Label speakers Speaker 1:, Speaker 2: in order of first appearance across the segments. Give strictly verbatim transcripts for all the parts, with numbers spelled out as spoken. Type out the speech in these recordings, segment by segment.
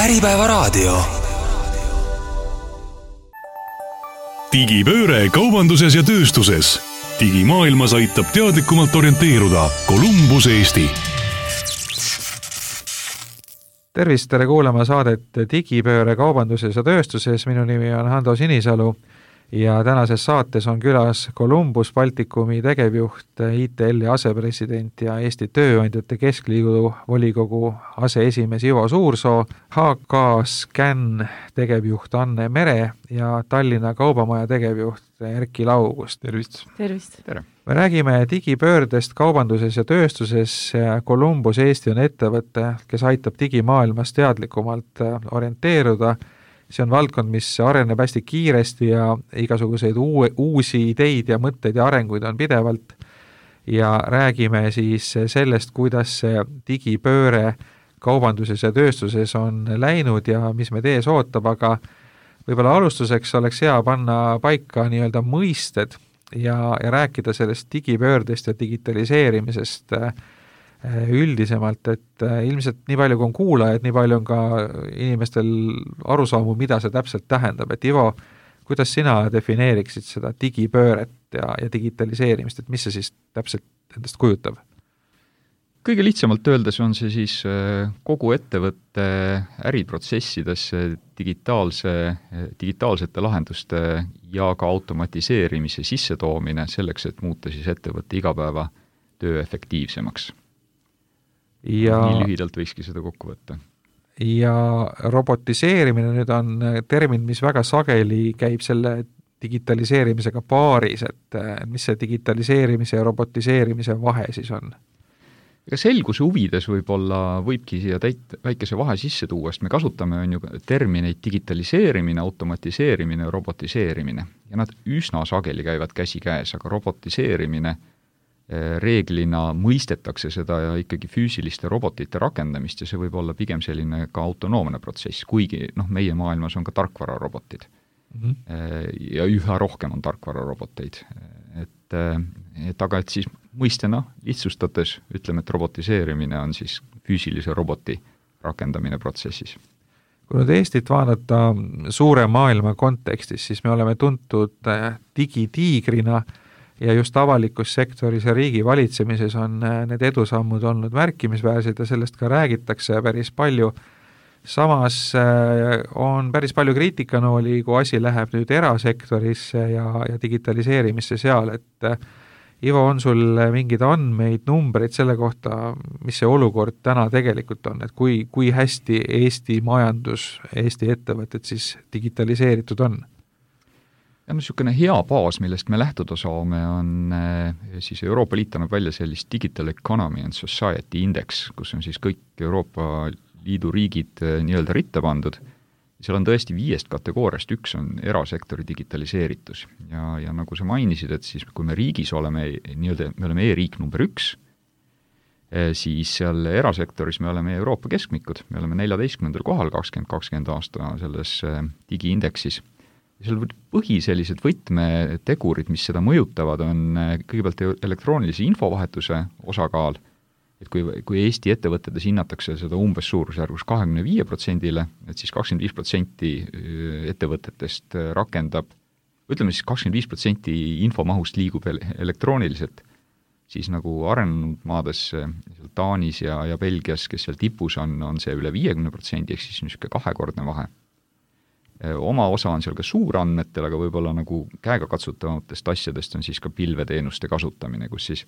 Speaker 1: Äripäevaraadio.
Speaker 2: Digipööre kaubanduses ja tööstuses. Digimaailmas aitab teadlikumalt orienteeruda Columbus Eesti.
Speaker 3: Tervist, tere kuulama saadet Digipööre kaubanduses ja tööstuses. Minu nimi on Hando Sinisalu ja tänases saates on külas Columbus Baltikumi tegevjuht, I T L-i asepresident ja Eesti Tööandjate Keskliidu volikogu aseesimees Ivo Suursoo, H K Scan tegevjuht Anne Mere ja Tallinna Kaubamaja tegevjuht Erki Laugust.
Speaker 4: Tervist!
Speaker 5: Tervist!
Speaker 4: Tere!
Speaker 3: Me räägime digipöördest kaubanduses ja tööstuses. Columbus Eesti on ettevõte, kes aitab digimaailmas teadlikumalt orienteeruda. See on valdkond, mis areneb hästi kiiresti ja igasuguseid uue, uusi ideid ja mõtteid ja arenguid on pidevalt. Ja räägime siis sellest, kuidas see digipööre kaubanduses ja tööstuses on läinud ja mis meid ees ootab, aga võib-olla alustuseks oleks hea panna paika nii-öelda mõisted ja, ja rääkida sellest digipöördest ja digitaliseerimisest üldisemalt, et ilmselt nii palju kui on kuulajaid, nii palju on ka inimestel arusaamu, mida see täpselt tähendab. Et Ivo, kuidas sina defineeriksid seda digipööret ja, ja digitaliseerimist, et mis see siis täpselt endast kujutab?
Speaker 4: Kõige lihtsamalt öeldes on see siis kogu ettevõtte äriprotsessidesse digitaalse, digitaalsete lahenduste ja ka automatiseerimise sissetoomine selleks, et muuta siis ettevõtte igapäeva töö efektiivsemaks. Ja, nii lühidalt võikski seda kokku võtta.
Speaker 3: Ja robotiseerimine nüüd on termin, mis väga sageli käib selle digitaliseerimisega paaris, et mis see digitaliseerimise ja robotiseerimise vahe siis on?
Speaker 4: Ega selguse huvides võib-olla võibki siia täit, väikese vahe sisse tuua, sest me kasutame on ju termineid digitaliseerimine, automatiseerimine ja robotiseerimine. Ja nad üsna sageli käivad käsi käes, aga robotiseerimine reeglina mõistetakse seda ja ikkagi füüsiliste robotite rakendamist ja see võib olla pigem selline ka autonoomne protsess, kuigi noh, meie maailmas on ka tarkvararobotid. Mm-hmm. Ja üha rohkem on tarkvararoboteid. Et, et aga et siis mõistena lihtsustades ütleme, et robotiseerimine on siis füüsilise roboti rakendamine protsessis.
Speaker 3: Kui nüüd Eestit vaadata suure maailma kontekstis, siis me oleme tuntud digitiigrina ja just avalikus sektoris ja riigi valitsemises on need edusammud olnud märkimisväärsed ja sellest ka räägitakse päris palju. Samas on päris palju kriitikanooli, kui asi läheb nüüd erasektorisse ja, ja digitaliseerimisse seal, et Ivo, on sul mingid andmeid, numbreid selle kohta, mis see olukord täna tegelikult on, et kui, kui hästi Eesti majandus, Eesti ettevõtted siis digitaliseeritud on?
Speaker 4: Ja no niisugune hea baas, millest me lähtuda saame, on siis Euroopa Liit annab välja sellist Digital Economy and Society Index, kus on siis kõik Euroopa Liidu riigid nii-öelda ritta pandud. Seal on tõesti viiest kategooriast, üks on erasektori digitaliseeritus. Ja, ja nagu sa mainisid, et siis kui me riigis oleme, nii-öelda, me oleme e-riik number üks, siis seal erasektoris me oleme Euroopa keskmikud, me oleme neljateistkümnendal kohal kakskümmend kakskümmend aasta selles digiindeksis. Seal põhi sellised võtmetegurid, mis seda mõjutavad, on kõigepealt elektroonilise infovahetuse osakaal, et kui, kui Eesti ettevõtetes hinnatakse seda umbes suurusjärgus kakskümmend viis protsenti, et siis kakskümmend viis protsenti ettevõtetest rakendab, ütleme siis kakskümmend viis protsenti infomahust liigub elektrooniliselt, siis nagu arenenud maades Taanis ja, ja Belgias, kes seal tipus on, on see üle viiekümne protsendi, ehk siis niisugune kahekordne vahe. Oma osa on seal ka suurandmetel, aga võib-olla nagu käega katsutavatest asjadest on siis ka pilveteenuste kasutamine, kus siis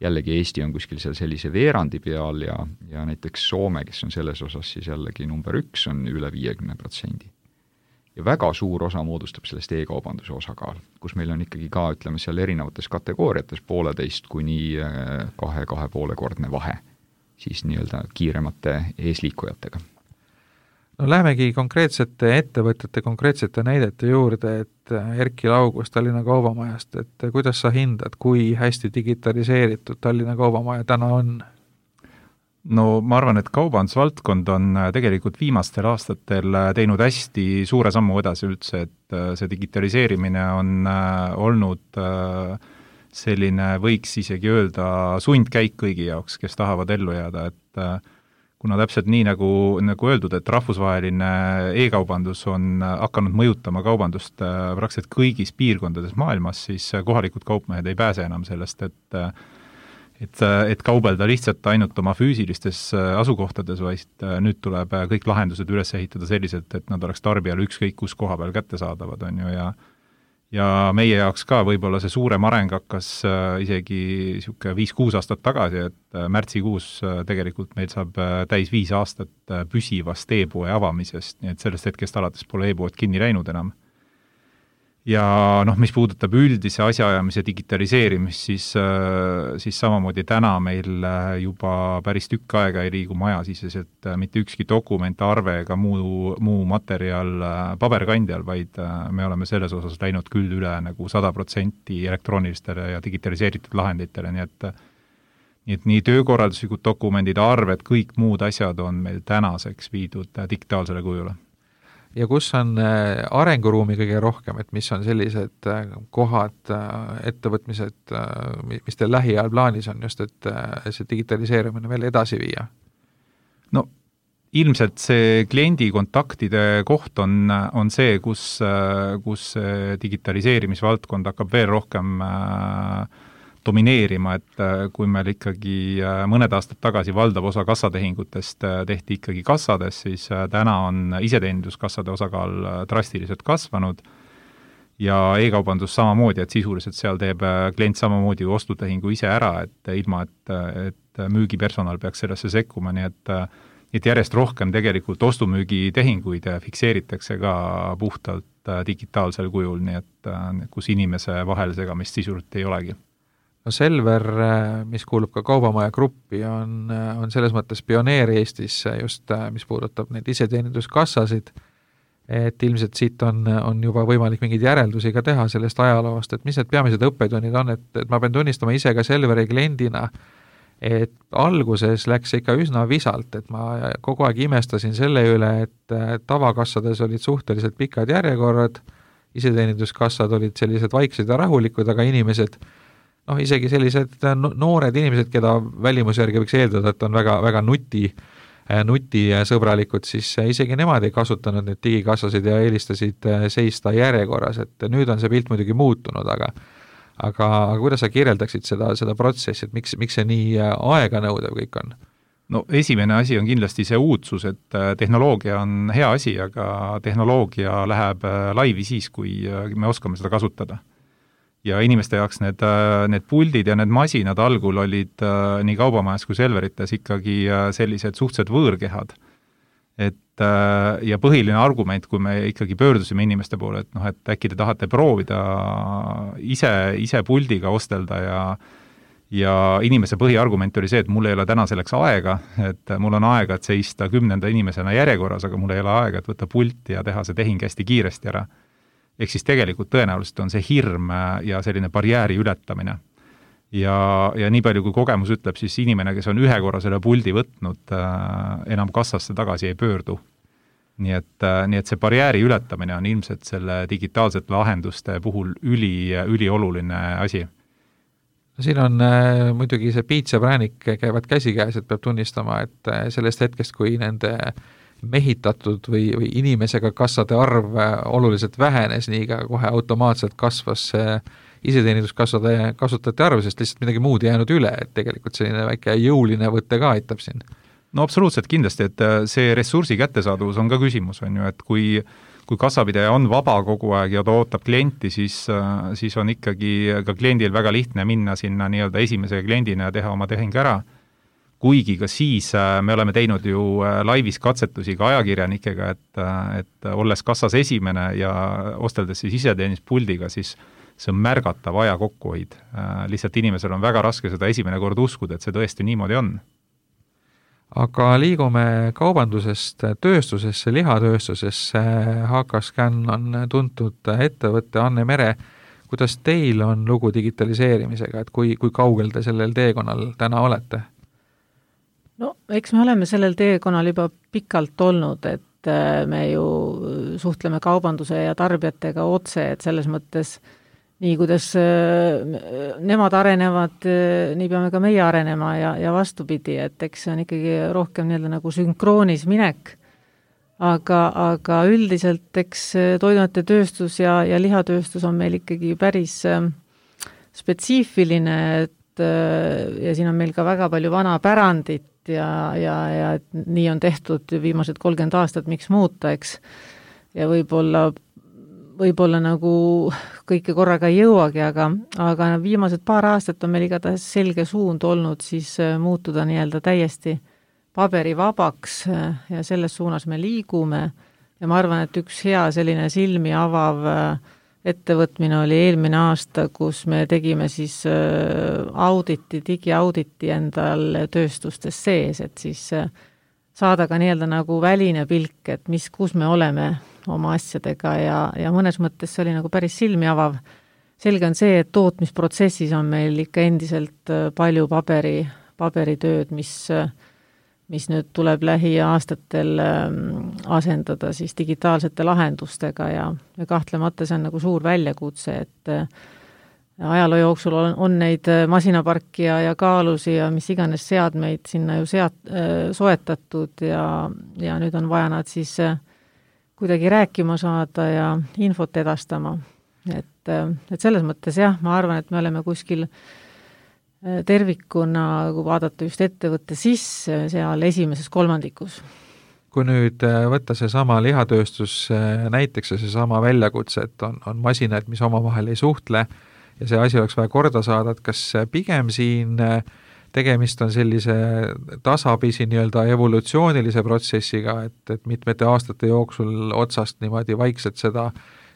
Speaker 4: jällegi Eesti on kuskil seal sellise veerandi peal ja, ja näiteks Soome, kes on selles osas siis jällegi number üks, on üle viiekümne protsendi. Ja väga suur osa moodustab sellest e-kaubanduse osakaal, kus meil on ikkagi ka, ütleme, seal erinevates kategooriates pooleteist kuni kahe, kahe poole kordne vahe, siis nii-öelda kiiremate eesliikujatega.
Speaker 3: No lähemegi konkreetsete ettevõtete, konkreetsete näidete juurde, et Erki Laugust Tallinna Kaubamajast, et kuidas sa hindad, kui hästi digitaliseeritud Tallinna Kaubamaja täna on?
Speaker 5: No ma arvan, et kaubandusvaldkond on tegelikult viimastel aastatel teinud hästi suure sammu edasi üldse, et see digitaliseerimine on olnud selline, võiks isegi öelda, sundkäik kõigi jaoks, kes tahavad ellu jääda, et kuna täpselt nii, nagu, nagu öeldud, et rahvusvaheline e-kaubandus on hakanud mõjutama kaubandust praktiliselt kõigis piirkondades maailmas, siis kohalikud kaupmehed ei pääse enam sellest, et et, et kaubelda lihtsalt ainult oma füüsilistes asukohtades, vaid nüüd tuleb kõik lahendused üles ehitada selliselt, et nad oleks tarbijale ükskõik kus koha peal kättesaadavad, on ju, ja ja meie jaoks ka võib-olla see suurem areng hakkas isegi sihuke viis-kuus aastat tagasi, et märtsikuus tegelikult meil saab täis viis aastat püsivast e-poe avamisest, nii et sellest hetkest alates pole e-pood kinni läinud enam. Ja noh, mis puudutab üldise asjaajamise digitaliseerimist, siis, siis samamoodi täna meil juba päris tükk aega ei liigu majasiseselt mitte ükski dokument, arve ega muu, muu materjal paberkandjal, vaid me oleme selles osas läinud küll üle nagu sada protsenti elektroonilistele ja digitaliseeritud lahenditele, nii et nii et nii töökorralduslikud dokumendid, arved, kõik muud asjad on meil tänaseks viidud digitaalsele kujule.
Speaker 3: Ja kus on arenguruumi kõige rohkem, et mis on sellised kohad, ettevõtmised, mis teil lähiajal plaanis on just, et see digitaliseerimine veel edasi viia?
Speaker 5: No ilmselt see kliendi kontaktide koht on, on see, kus, kus digitaliseerimisvaldkond hakkab veel rohkem domineerima, et kui meil ikkagi mõned aastad tagasi valdav osa kassatehingutest tehti ikkagi kassades, siis täna on iseteeninduskassade osakaal drastiliselt kasvanud ja e-kaubandus samamoodi, et sisuliselt seal teeb klient samamoodi ostutehingu ise ära, et ilma, et, et müügipersonal peaks sellesse sekkuma, nii et, et järjest rohkem tegelikult ostumüügitehinguid fikseeritakse ka puhtalt digitaalsel kujul, nii et kus inimese vahel segamist sisuliselt ei olegi.
Speaker 3: No Selver, mis kuulub ka Kaubamaja gruppi, on, on selles mõttes pioneer Eestis just, mis puudutab neid iseteeninduskassasid, et ilmselt siit on, on juba võimalik mingeid järeldusi ka teha sellest ajaloost, et mis need peamised õppetunnid on, et, et ma pean tunnistama ise ka Selveri kliendina, et alguses läks ikka üsna visalt, et ma kogu aeg imestasin selle üle, et tavakassades olid suhteliselt pikad järjekorrad, iseteeninduskassad olid sellised vaiksed ja rahulikud, aga inimesed noh, isegi sellised noored inimesed, keda välimuse järgi võiks eeldada, et on väga, väga nuti, nutisõbralikud, siis isegi nemad ei kasutanud neid digikassasid ja eelistasid seista järjekorras, et nüüd on see pilt muidugi muutunud, aga aga, aga kuidas sa kirjeldaksid seda, seda protsessi, et miks, miks see nii aega nõudev kõik on?
Speaker 5: No esimene asi on kindlasti see uudsus, et tehnoloogia on hea asi, aga tehnoloogia läheb laivi siis, kui me oskame seda kasutada. Ja inimeste jaoks need, need puldid ja need masinad algul olid nii Kaubamajas kui Selverites ikkagi sellised suhtsed võõrkehad. Et, ja põhiline argument, kui me ikkagi pöördusime inimeste poole, et noh, et äkki te tahate proovida ise, ise puldiga ostelda ja, ja inimese põhiargument oli see, et mul ei ole täna selleks aega, et mul on aega, et seista kümnenda inimesena järjekorras, aga mul ei ole aega, et võtta pulti ja teha see tehing hästi kiiresti ära. Ehk siis tegelikult tõenäoliselt on see hirm ja selline barjääri ületamine. Ja, ja nii palju, kui kogemus ütleb, siis inimene, kes on ühe korra selle puldi võtnud, enam kassasse tagasi ei pöördu. Nii et, nii et see barjääri ületamine on ilmselt selle digitaalsete lahenduste puhul üli, ülioluline asi.
Speaker 3: No siin on äh, muidugi see piits ja präänik käivad käsikäes, et peab tunnistama, et sellest hetkest, kui nende mehitatud või, või inimesega kassade arv oluliselt vähenes, nii ka kohe automaatselt kasvas iseteeninduskassade kasutajate arv, sest lihtsalt midagi muud jäänud üle, et tegelikult selline väike jõuline võtte ka aitab siin.
Speaker 5: No absoluutselt kindlasti, et see ressursi kättesaadavus on ka küsimus, on ju, et kui, kui kassapidaja on vaba kogu aeg ja ta ootab klienti, siis, siis on ikkagi ka kliendil väga lihtne minna sinna nii-öelda esimese kliendina ja teha oma tehing ära. Kuigi ka siis me oleme teinud ju laivis katsetusi ka ajakirjanikega, et, et olles kassas esimene ja osteldes siis iseteeninduspuldiga, siis see on märgatav aja kokkuhoid. Lihtsalt inimesel on väga raske seda esimene kord uskuda, et see tõesti niimoodi on.
Speaker 3: Aga liigume kaubandusest tööstusesse, lihatööstusesse. H K Scan on tuntud ettevõtte Anne Mere. Kuidas teil on lugu digitaliseerimisega, et kui, kui kaugel te sellel teekonnal täna olete?
Speaker 1: No, eks me oleme sellel teekonnal juba pikalt olnud, et me ju suhtleme kaubanduse ja tarbijatega otse, et selles mõttes nii kuidas nemad arenevad, nii peame ka meie arenema ja, ja vastupidi, et eks see on ikkagi rohkem nii-öelda nagu sünkroonis minek, aga, aga üldiselt eks toiduainete tööstus ja, ja lihatööstus on meil ikkagi päris spetsiifiline, et ja siin on meil ka väga palju vana pärandit ja, ja, ja et nii on tehtud viimased kolmkümmend aastat, miks muuta, eks, ja võib-olla võib-olla nagu kõike korraga ei jõuagi, aga, aga viimased paar aastat on meil igatahes selge suund olnud siis muutuda nii-öelda täiesti paberivabaks ja selles suunas me liigume ja ma arvan, et üks hea selline silmi avav ettevõtmine oli eelmine aasta, kus me tegime siis auditi, digiauditi endal tööstustes sees, et siis saada ka nii-öelda nagu väline pilk, et mis, kus me oleme oma asjadega ja, ja mõnes mõttes see oli nagu päris silmi avav. Selge on see, et tootmisprotsessis on meil ikka endiselt palju paberi, paberitööd, mis, mis nüüd tuleb lähiaastatel asendada siis digitaalsete lahendustega ja, ja kahtlemata see on nagu suur väljakutse, et ajaloo jooksul on, on neid masinaparki ja, ja kaalusi ja mis iganes seadmeid sinna ju seat, soetatud ja, ja nüüd on vaja nad siis kuidagi rääkima saada ja infot edastama. Et, et selles mõttes jah, ma arvan, et me oleme kuskil tervikuna, kui vaadata just ettevõtte sisse, seal esimeses kolmandikus.
Speaker 3: Kui nüüd võtta see sama lihatööstus näiteks ja see sama väljakutse, et on, on masinad, mis omavahel ei suhtle ja see asi oleks vaja korda saada, et kas pigem siin tegemist on sellise tasapisi nii-öelda evolutsioonilise protsessiga, et, et mitmete aastate jooksul otsast niimoodi vaikselt seda,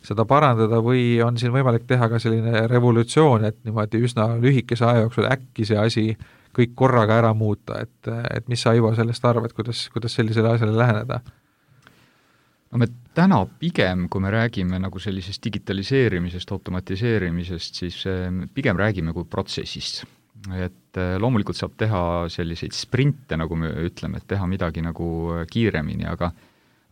Speaker 3: seda parandada või on siin võimalik teha ka selline revolutsioon, et niimoodi üsna lühikese aja jooksul äkki see asi kõik korraga ära muuta, et, et mis sa, Ivo, sellest arvad, kuidas, kuidas sellisele asjale läheneda?
Speaker 4: No me täna pigem, kui me räägime nagu sellisest digitaliseerimisest, automatiseerimisest, siis pigem räägime kui protsessist. Et loomulikult saab teha selliseid sprinte, nagu me ütleme, et teha midagi nagu kiiremini, aga,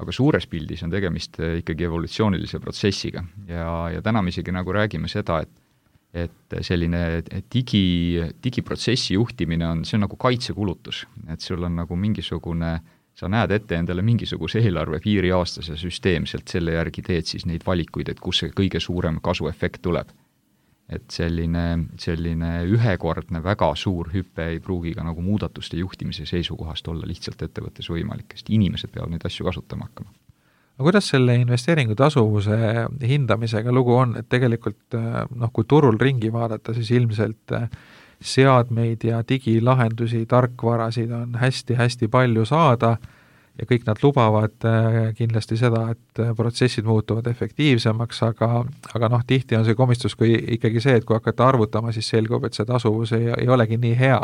Speaker 4: aga suures pildis on tegemist ikkagi evolutsioonilise protsessiga. Ja, ja täna me isegi nagu räägime seda, et, et selline digi, digiprotsessi juhtimine on, see on nagu kaitsekulutus. Et sul on nagu mingisugune, sa näed ette endale mingisuguse eelarve piiri aastas ja süsteemselt selle järgi teed siis neid valikuid, et kus see kõige suurem kasuefekt tuleb. Et selline, selline ühekordne väga suur hüpe ei pruugi ka nagu muudatuste juhtimise seisukohast olla lihtsalt ettevõttes võimalik, sest inimesed peavad neid asju kasutama hakkama.
Speaker 3: Aga kuidas selle investeeringu tasuvuse hindamisega lugu on, et tegelikult noh, kui turul ringi vaadata, siis ilmselt seadmeid ja digilahendusi, tarkvarasid on hästi-hästi palju saada ja kõik nad lubavad kindlasti seda, et protsessid muutuvad efektiivsemaks, aga, aga noh, tihti on see komistus kui ikkagi see, et kui hakata arvutama, siis selgub, et see tasuvus ei, ei olegi nii hea.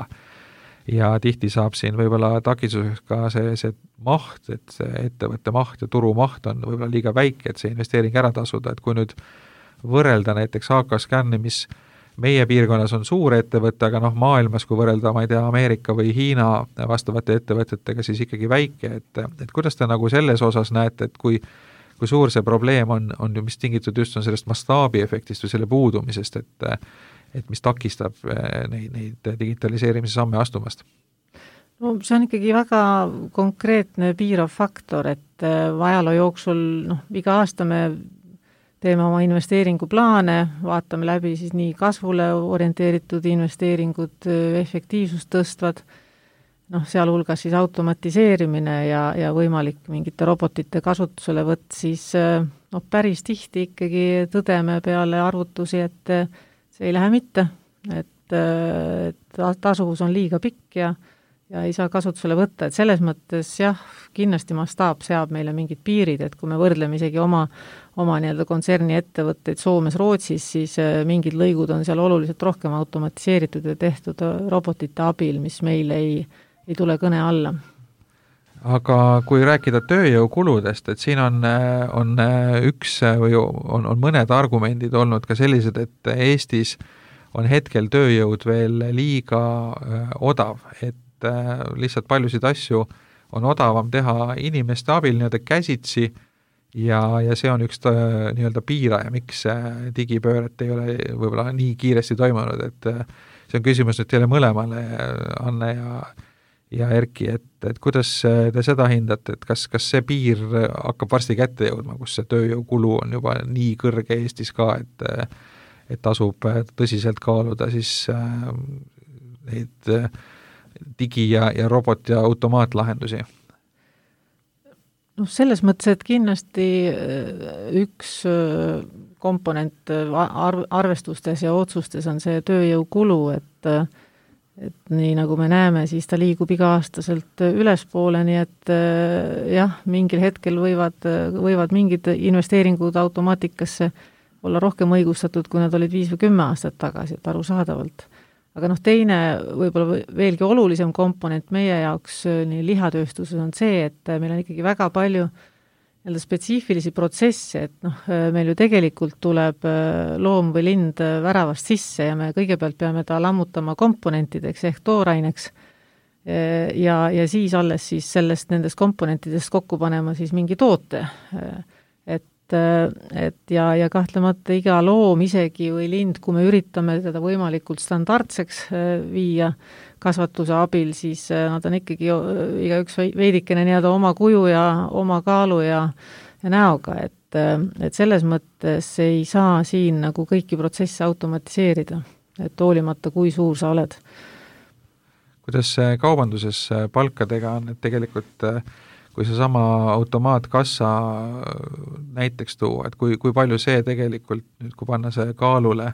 Speaker 3: Ja tihti saab siin võib-olla takistuseks ka see, see maht, et see ettevõtte maht ja turu maht on võib-olla liiga väike, et see investeering ära tasuda, et kui nüüd võrrelda näiteks A K Scanni, mis meie piirkonnas on suur ettevõte, aga noh, maailmas, kui võrrelda, ma ei tea, Ameerika või Hiina vastavate ettevõtetega, siis ikkagi väike, et, et kuidas te nagu selles osas näete, et kui, kui suur see probleem on, on ju, mis tingitud just on sellest mastaabiefektist või selle puudumisest, et, et mis takistab neid, neid digitaliseerimise samme astumast?
Speaker 1: No see on ikkagi väga konkreetne piirav faktor, et ajaloo jooksul, noh, iga aasta me teeme oma investeeringuplaane, vaatame läbi siis nii kasvule orienteeritud investeeringud, efektiivsust tõstvad, noh, sealhulgas siis automatiseerimine ja, ja võimalik mingite robotite kasutusele võtt, siis noh, päris tihti ikkagi tõdeme peale arvutusi, et see ei lähe mitte, et, et tasuvus on liiga pikk ja ja ei saa kasutusele võtta, et selles mõttes jah, kindlasti mastaap seab meile mingid piirid, et kui me võrdleme isegi oma, oma nii-öelda kontserni ettevõtteid Soomes, Rootsis, siis mingid lõigud on seal oluliselt rohkem automatiseeritud ja tehtud robotite abil, mis meil ei, ei tule kõne alla.
Speaker 3: Aga kui rääkida tööjõukuludest, et siin on, on üks või on, on mõned argumendid olnud ka sellised, et Eestis on hetkel tööjõud veel liiga odav, et lihtsalt paljusid asju on odavam teha inimeste abil nii-öelda käsitsi ja, ja see on üks ta, nii-öelda piiraja, miks digipööret ei ole võib-olla nii kiiresti toimunud, et see on küsimus nüüd teile mõlemale, Anne ja ja Erki, et, et kuidas te seda hindate, et kas, kas see piir hakkab varsti kätte jõudma, kus see tööjõukulu on juba nii kõrge Eestis ka, et, et tasub tõsiselt kaaluda siis neid digi- ja, ja robot- ja automaatlahendusi?
Speaker 1: noh, selles mõttes, et kindlasti üks komponent arv, arvestustes ja otsustes on see tööjõukulu, et et nii nagu me näeme, siis ta liigub iga-aastaselt ülespoole, nii et jah, mingil hetkel võivad, võivad mingid investeeringud automaatikasse olla rohkem õigustatud, kui nad olid viis või kümme aastat tagasi, et arusaadavalt. Aga noh, teine võib-olla veelgi olulisem komponent meie jaoks nii lihatööstuses on see, et meil on ikkagi väga palju jälle spetsiifilisi protsesse, et noh, meil ju tegelikult tuleb loom või lind väravast sisse ja me kõigepealt peame ta lammutama komponentideks ehk tooraineks ja, ja siis alles siis sellest nendest komponentidest kokku panema siis mingi toote. Et, et ja, ja kahtlemata iga loom isegi või lind, kui me üritame teda võimalikult standardseks viia kasvatuse abil, siis nad on ikkagi igaüks veidikene nii-öelda oma kuju ja oma kaalu ja, ja näoga, et, et selles mõttes ei saa siin nagu kõiki protsesse automatiseerida, et hoolimata, kui suur sa oled.
Speaker 3: Kuidas kaubanduses palkadega on, et tegelikult kui see sama automaatkassa näiteks tuua, et kui, kui palju see tegelikult nüüd, kui panna see kaalule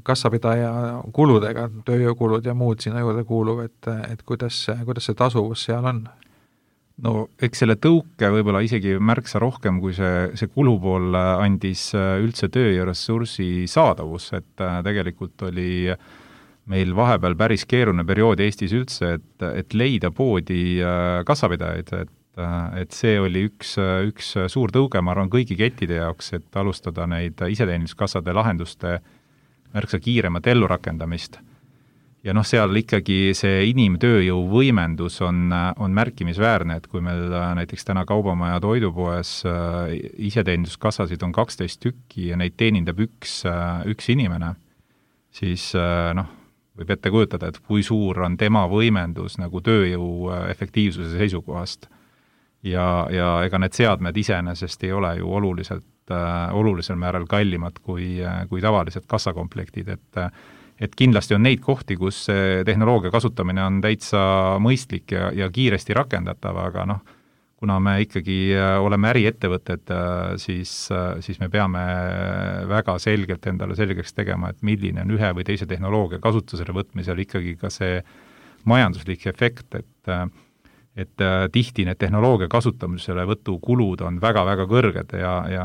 Speaker 3: kassapidaja kuludega, tööjõukulud ja muud sinna juurde kuuluv, et, et kuidas, kuidas see tasuvus seal on?
Speaker 5: No eks selle tõuke võib-olla isegi märksa rohkem, kui see, see kulupool andis üldse töö ja ressursi saadavus, et tegelikult oli meil vahepeal päris keeruline periood Eestis üldse, et, et leida poodi kassapidajaid, et, et see oli üks, üks suur tõuge, ma arvan, kõigi kettide jaoks, et alustada neid iseteeninduskassade lahenduste märksa kiiremat ellurakendamist. Ja noh, seal ikkagi see inimtööjõu võimendus on, on märkimisväärne, et kui meil näiteks täna Kaubamaja toidupoes iseteeninduskassasid on kaksteist tükki ja neid teenindab üks, üks inimene, siis noh, võib ette kujutada, et kui suur on tema võimendus nagu tööjõu efektiivsuse seisukohast. Ja, ja ega need seadmed iseenesest ei ole ju oluliselt olulisel määral kallimad kui, kui tavalised kassakomplektid, et, et kindlasti on neid kohti, kus tehnoloogia kasutamine on täitsa mõistlik ja, ja kiiresti rakendatav, aga noh, kuna me ikkagi oleme äriettevõtted, siis, siis me peame väga selgelt endale selgeks tegema, et milline on ühe või teise tehnoloogia kasutusele võtmisel ikkagi ka see majanduslik efekt, et et äh, tihti need tehnoloogia kasutamisele võtu kulud on väga-väga kõrged ja, ja,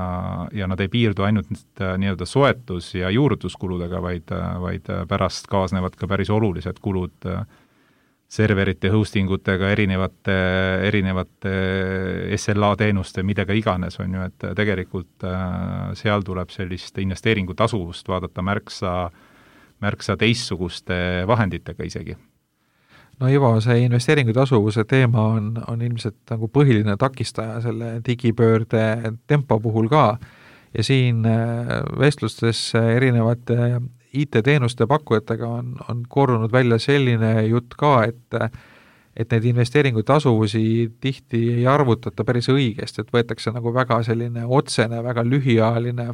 Speaker 5: ja nad ei piirdu ainult äh, nii-öelda soetus- ja juurutuskuludega, vaid, äh, vaid pärast kaasnevad ka päris olulised kulud äh, serverite, hostingutega, erinevate, erinevate S L A teenuste, midagi iganes on ju, et tegelikult äh, seal tuleb sellist investeeringu tasuvust vaadata märksa, märksa teistsuguste vahenditega isegi.
Speaker 3: No Ivo, see investeeringu tasuvuse teema on, on ilmselt nagu põhiline takistaja selle digipöörde tempo puhul ka ja siin vestlustes erinevate I T-teenuste pakkujatega on, on korrunud välja selline jutt ka, et, et need investeeringu tasuvusi tihti ei arvutata päris õigesti, et võetakse nagu väga selline otsene, väga lühiajaline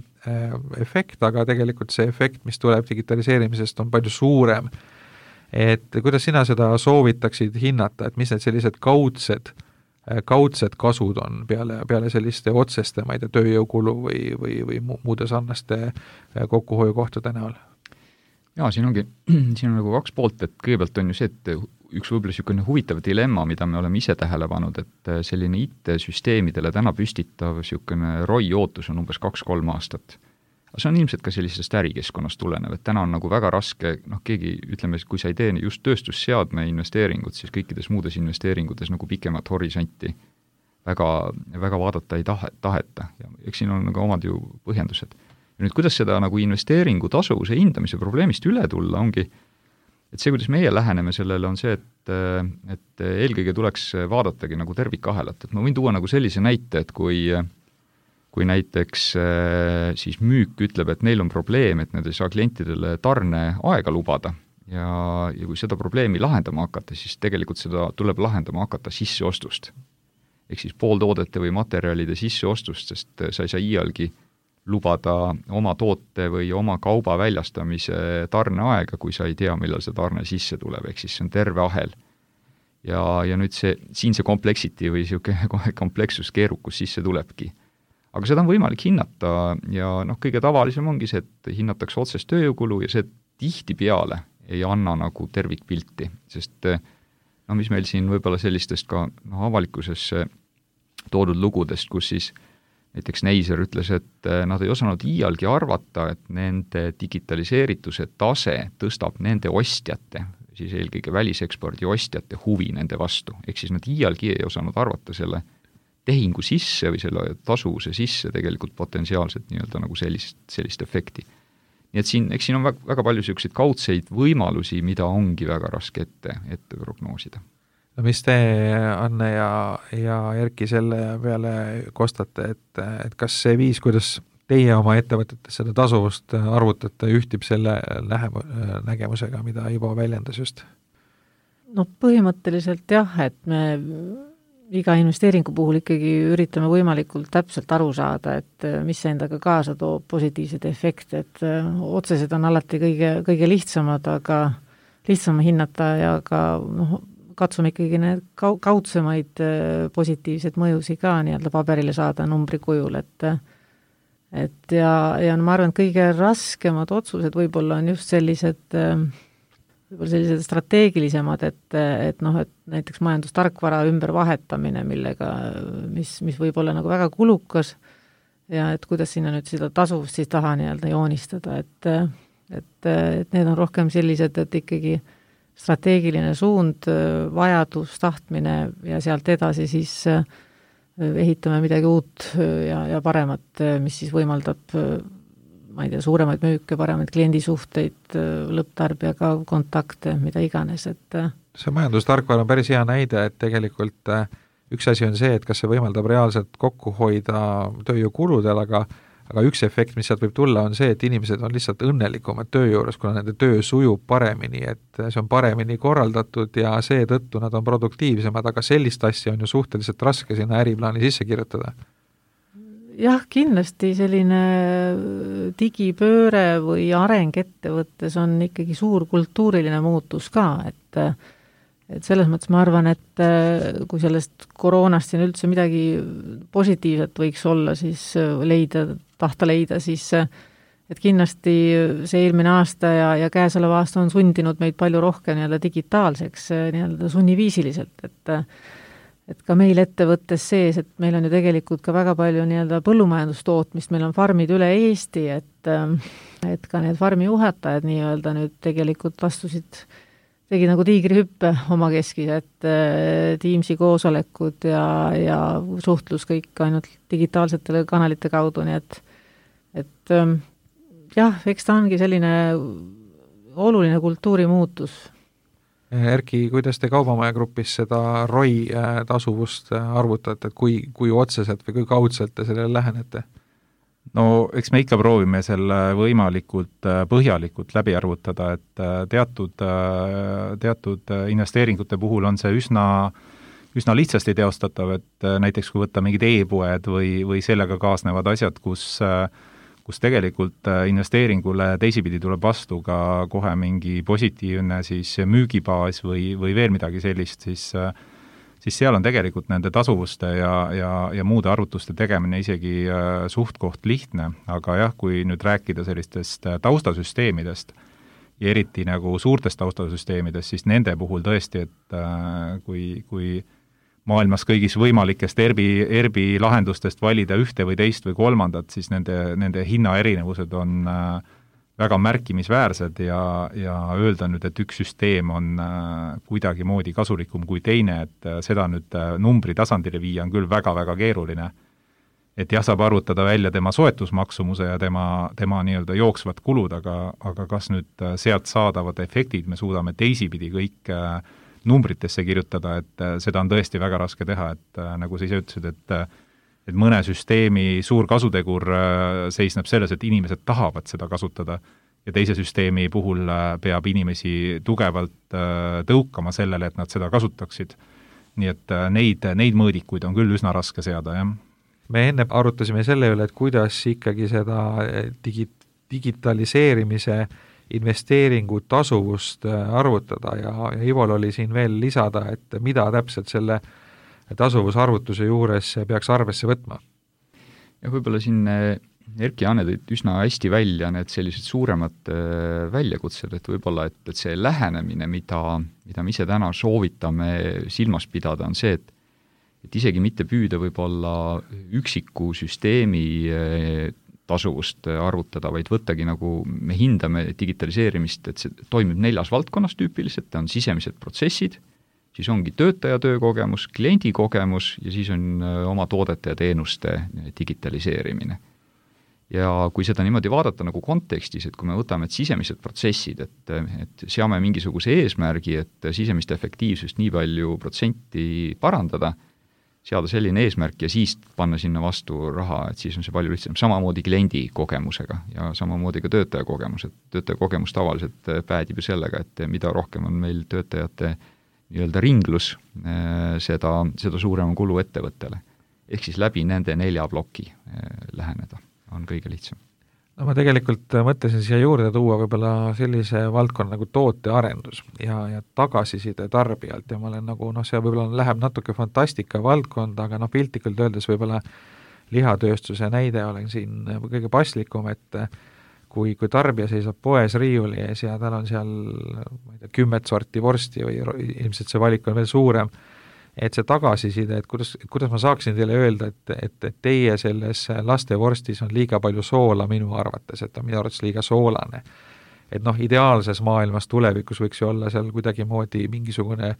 Speaker 3: efekt, aga tegelikult see efekt, mis tuleb digitaliseerimisest, on palju suurem. Et kuidas sina seda soovitaksid hinnata, et mis need sellised kaudsed, kaudsed kasud on peale, peale selliste otseste, ma ei tea, tööjõukulu või, või, või muude sarnaste kokkuhoiukohtade näol?
Speaker 4: Jaa, siin ongi, siin on nagu kaks poolt, et kõigepealt on ju see, et üks võib-olla niisugune huvitav dilemma, mida me oleme ise tähele pannud, et selline I T-süsteemidele täna püstitav niisugune R O I ootus on umbes kaks-kolm aastat. See on ilmselt ka sellisest ärikeskkonnast tulenev, et täna on nagu väga raske, noh keegi, ütleme, kui sa ei tee just tööstusseadme investeeringut, siis kõikides muudes investeeringutes nagu pikemat horisonti väga, väga vaadata ei tahe, taheta. Ja eks siin on nagu omad ju põhjendused. Ja nüüd, kuidas seda nagu investeeringu tasuvuse hindamise probleemist üle tulla, ongi, et see, kuidas meie läheneme sellele, on see, et, et eelkõige tuleks vaadatagi nagu tervikahelat. Et ma võin tuua nagu sellise näite, et kui kui näiteks siis müük ütleb, et neil on probleem, et nad ei saa klientidele tarneaega lubada ja, ja kui seda probleemi lahendama hakata, siis tegelikult seda tuleb lahendama hakata sisseostust. Ehk siis pooltoodete või materjalide sisseostust, sest sa ei saa iialgi lubada oma toote või oma kauba väljastamise tarneaega, kui sa ei tea, millal see tarne sisse tuleb, ehk siis see on terve ahel. Ja, ja nüüd see, siin see complexity või niisugune komplekssus, keerukus sisse tulebki. Aga seda on võimalik hinnata ja noh, kõige tavalisem ongi see, et hinnatakse otsest tööjõukulu ja see tihtipeale ei anna nagu tervikpilti, sest no mis meil siin võib-olla sellistest ka no, avalikkuses toodud lugudest, kus siis näiteks Neiser ütles, et nad ei osanud iialgi arvata, et nende digitaliseerituse tase tõstab nende ostjate, siis eelkõige välisekspordi ostjate huvi nende vastu. Ehk siis nad iialgi ei osanud arvata selle tehingu sisse või selle tasuvuse sisse tegelikult potentsiaalselt nii-öelda nagu sellist, sellist efekti. Nii et siin, eks siin on väga, väga palju selliseid kaudseid võimalusi, mida ongi väga raske ette, ette prognoosida.
Speaker 3: No mis te, Anne ja, ja Erki, selle peale kostate, et, et kas see viis, kuidas teie oma ettevõtetes seda tasuvust arvutate, ühtib selle lähem, nägemusega, mida Ivo väljendas just?
Speaker 1: No põhimõtteliselt jah, et me iga investeeringu puhul ikkagi üritame võimalikult täpselt aru saada, et mis see endaga kaasa toob positiivsed efekte, et otsesed on alati kõige, kõige lihtsamad, aga lihtsam hinnata ja ka noh, katsume ikkagi need kaudsemaid positiivseid mõjusi ka nii-öelda paberile saada numbri kujul, et et ja, ja ma arvan, et kõige raskemad otsused võib-olla on just sellised võib-olla sellised strateegilisemad, et, et noh, et näiteks majandustarkvara ümbervahetamine, millega, mis, mis võib olla nagu väga kulukas ja et kuidas sinna nüüd seda tasuvust siis taha nii-öelda joonistada, et, et, et need on rohkem sellised, et ikkagi strateegiline suund, vajadus, tahtmine ja sealt edasi siis ehitame midagi uut ja, ja paremat, mis siis võimaldab ma ei tea, suuremaid müüke, paremaid kliendisuhteid, lõpptarbijaga kontakte, mida iganes, et
Speaker 3: see majandustarkvara on päris hea näide, et tegelikult üks asi on see, et kas see võimaldab reaalselt kokku hoida tööjõukuludel, aga, aga üks efekt, mis sealt võib tulla, on see, et inimesed on lihtsalt õnnelikumad töö juures, kuna nende töö sujub paremini, et see on paremini korraldatud ja seetõttu nad on produktiivsemad, aga sellist asja on ju suhteliselt raske sinna äriplaani sisse kirjutada.
Speaker 1: Jah, kindlasti selline digipööre või areng ettevõttes on ikkagi suur kultuuriline muutus ka, et, et selles mõttes ma arvan, et kui sellest koroonast siin üldse midagi positiivset võiks olla, siis leida, tahta leida, siis et kindlasti see eelmine aasta ja, ja käesolev aasta on sundinud meid palju rohkem nii-öelda digitaalseks, nii-öelda sunniviisiliselt, et et ka meil ettevõttes sees, et meil on ju tegelikult ka väga palju nii-öelda põllumajandustootmist, meil on farmid üle Eesti, et, et ka need farmi juhatajad nii-öelda nüüd tegelikult astusid, tegid nagu tiigrihüppe oma keskis, et Teamsi koosolekud ja, ja suhtlus kõik ainult digitaalsetele kanalite kaudu, nii et, et jah, eks ta ongi selline oluline kultuurimuutus.
Speaker 3: Erki, kuidas te Kaubamaja grupis seda R O I tasuvust arvutate, et kui, kui otseselt või kui kaudselt te sellele lähenete?
Speaker 5: No eks me ikka proovime selle võimalikult põhjalikult läbi arvutada, et teatud, teatud investeeringute puhul on see üsna, üsna lihtsasti teostatav, et näiteks kui võtta mingid e-poed või, või sellega kaasnevad asjad, kus kus tegelikult investeeringule teisipidi tuleb vastu ka kohe mingi positiivne siis müügibaas või, või veel midagi sellist, siis, siis seal on tegelikult nende tasuvuste ja, ja, ja muude arvutuste tegemine isegi suht koht lihtne, aga jah, kui nüüd rääkida sellistest taustasüsteemidest ja eriti nagu suurtest taustasüsteemidest, siis nende puhul tõesti, et kui, kui maailmas kõigis võimalikest ERBi, ERBi lahendustest valida ühte või teist või kolmandat, siis nende, nende hinnaerinevused on väga märkimisväärsed ja, ja öelda nüüd, et üks süsteem on kuidagi moodi kasulikum kui teine, et seda nüüd numbri tasandile viia on küll väga-väga keeruline. Et jah, saab arvutada välja tema soetusmaksumuse ja tema, tema nii-öelda jooksvad kulud, aga, aga kas nüüd sealt saadavad efektid me suudame teisipidi kõik numbritesse kirjutada, et seda on tõesti väga raske teha, et nagu sa ise ütlesid, et et mõne süsteemi suur kasutegur seisneb selles, et inimesed tahavad seda kasutada ja teise süsteemi puhul peab inimesi tugevalt tõukama sellele, et nad seda kasutaksid. Nii et neid, neid mõõdikuid on küll üsna raske seada, jah.
Speaker 3: Me enne arutasime selle üle, et kuidas ikkagi seda digi, digitaliseerimise investeeringu tasuvust arvutada ja, ja Ivol oli siin veel lisada, et mida täpselt selle tasuvusarvutuse juures peaks arvesse võtma.
Speaker 4: Ja võib-olla siin Erki ja Anne tõid üsna hästi välja need sellised suuremad väljakutsed, et võib-olla, et, et see lähenemine, mida, mida me ise täna soovitame silmas pidada, on see, et, et isegi mitte püüda võib-olla üksiku süsteemi tasuvust arvutada, vaid võttagi nagu me hindame digitaliseerimist, et see toimib neljas valdkonnas tüüpiliselt, on sisemised protsessid, siis ongi töötaja töökogemus, kliendi kogemus ja siis on oma toodete ja teenuste digitaliseerimine. Ja kui seda niimoodi vaadata nagu kontekstis, et kui me võtame et sisemised protsessid, et, et seame mingisuguse eesmärgi, et sisemist efektiivsust nii palju protsenti parandada, seada selline eesmärk ja siis panna sinna vastu raha, et siis on see palju lihtsam. Samamoodi kliendi kogemusega ja samamoodi ka töötaja kogemus, et töötaja kogemus tavaliselt päädib ju sellega, et mida rohkem on meil töötajate nii-öelda ringlus, seda, seda suurema kulu ettevõttele. Ehk siis läbi nende nelja ploki läheneda on kõige lihtsam.
Speaker 3: No ma tegelikult mõtlesin siia juurde tuua võib-olla sellise valdkonna nagu tootearendus ja, ja tagasiside tarbijalt ja ma olen nagu, noh, see võib-olla läheb natuke fantastika valdkonda, aga noh, piltlikult öeldes võib-olla lihatööstuse näide olen siin kõige paslikum, et kui, kui tarbija seisab poes riiuli ees ja tal on seal ma ei tea, kümmet sorti vorsti või ilmselt see valik on veel suurem, et see tagasiside, et kuidas, kuidas ma saaksin teile öelda, et, et, et teie selles lastevorstis on liiga palju soola minu arvates, et on minu arvates liiga soolane. Et noh, ideaalses maailmas tulevikus võiks ju olla seal kuidagi moodi mingisugune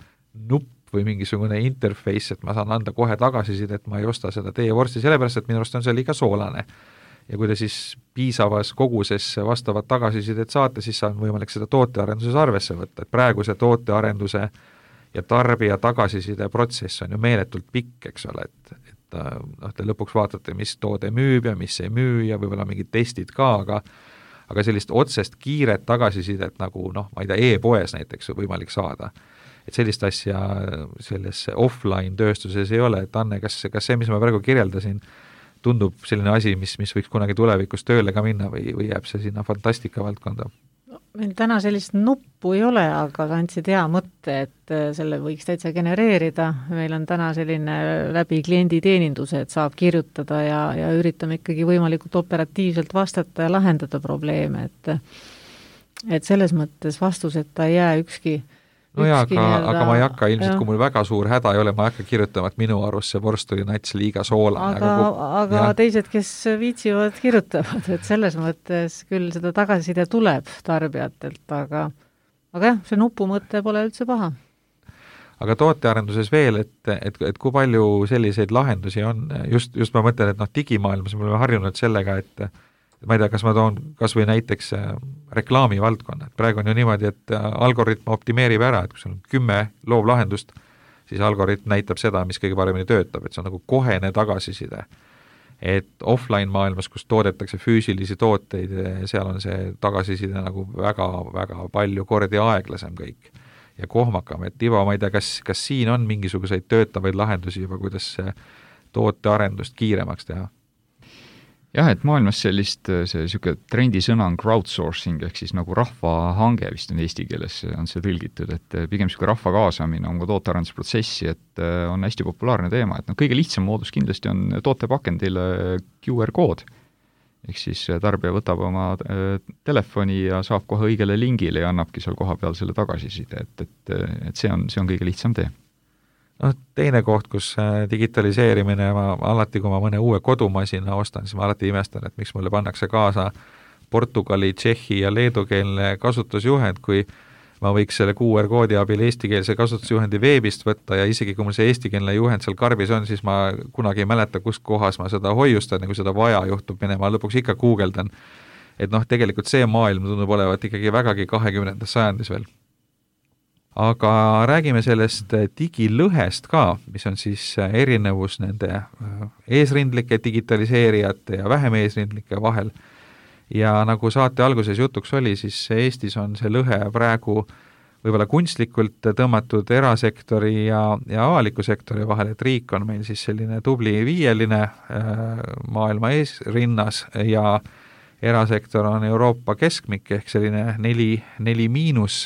Speaker 3: nupp või mingisugune interface, et ma saan anda kohe tagasiside, et ma ei osta seda teie vorsti, sellepärast, et minu arust on see liiga soolane. Ja kui te siis piisavas koguses vastavat tagasisidet saate, siis on võimalik seda tootearenduses arvesse võtta, et praegu see tootearenduse ja tarbija tagasiside protsess on ju meeletult pikk, eks ole, et, et noh, te lõpuks vaatate, mis toode müüb ja mis ei müü ja võib-olla mingid testid ka, aga aga sellist otsest kiiret tagasisidet nagu noh, ma ei tea, e-poes näiteks on võimalik saada. Et sellist asja selles offline tööstuses ei ole, et Anne, kas, kas see, mis ma praegu kirjeldasin, tundub selline asi, mis, mis võiks kunagi tulevikus tööle ka minna või, või jääb see sinna fantastika valdkonda?
Speaker 1: No, meil täna sellist nuppu ei ole, aga andsid hea mõtte, et selle võiks täitsa genereerida. Meil on täna selline läbi klienditeeninduse, et saab kirjutada ja, ja üritame ikkagi võimalikult operatiivselt vastata ja lahendada probleeme, et et selles mõttes vastuseta ei jää ükski
Speaker 3: no jaa, aga, aga ma ei hakka ilmselt, kui mul väga suur häda ei ole, ma ei hakka kirjutama, et minu arust see vorst oli nats liiga soolane.
Speaker 1: Aga, aga, aga jah. Teised, kes viitsivad, kirjutavad, et selles mõttes küll seda tagasiside tuleb tarbijatelt, aga, aga jah, see nupu mõte pole üldse paha.
Speaker 3: Aga tootearenduses veel, et, et, et kui palju selliseid lahendusi on, just, just ma mõtlen, et noh, digimaailmas me oleme harjunud sellega, et ma ei tea, kas ma toon kas või näiteks reklaami valdkonna, et praegu on ju niimoodi, et algoritm optimeerib ära, et kui sul on kümme loovlahendust, siis algoritm näitab seda, mis kõige paremini töötab, et see on nagu kohene tagasiside. Et offline maailmas, kus toodetakse füüsilisi tooteid, seal on see tagasiside nagu väga, väga palju kordi aeglasem kõik ja kohmakam, et Ivo, ma ei tea, kas, kas siin on mingisuguseid töötavaid lahendusi juba, kuidas tootearendust kiiremaks teha?
Speaker 4: Jah, et maailmas sellist, see siuke trendisõna on crowdsourcing, ehk siis nagu rahvahange vist on eesti keeles, on see tõlgitud, et pigem siuke rahva kaasamine on ka tootearendusprotsessi, et on hästi populaarne teema, et no kõige lihtsam moodus kindlasti on tootepakendile Q R-kood, ehk siis tarbija võtab oma telefoni ja saab kohe õigele lingile ja annabki seal koha peal selle tagasiside, et, et, et see on, see on kõige lihtsam tee.
Speaker 3: No, teine koht, kus digitaliseerimine, ma alati, kui ma mõne uue kodumasina ostan, siis ma alati imestan, et miks mulle pannakse kaasa Portugali, Tšehhi ja leedukeelne kasutusjuhend, kui ma võiks selle Q R-koodi abil eestikeelse kasutusjuhendi veebist võtta ja isegi kui mul see eestikeelne juhend seal karbis on, siis ma kunagi ei mäleta, kus kohas ma seda hoiustan ja kui seda vaja juhtub minema, ma lõpuks ikka guugeldan. Et noh, tegelikult see maailm tundub olevat ikkagi vägagi kahekümnendas sajandis veel. aga räägime sellest digilõhest ka, mis on siis erinevus nende eesrindlike digitaliseerijate ja vähem eesrindlike vahel. Ja nagu saate alguses jutuks oli, siis Eestis on see lõhe praegu võib-olla kunstlikult tõmmatud erasektori ja, ja avaliku sektori vahel, et riik on meil siis selline tubli viieline maailma eesrinnas ja erasektor on Euroopa keskmik ehk selline neli, neli miinus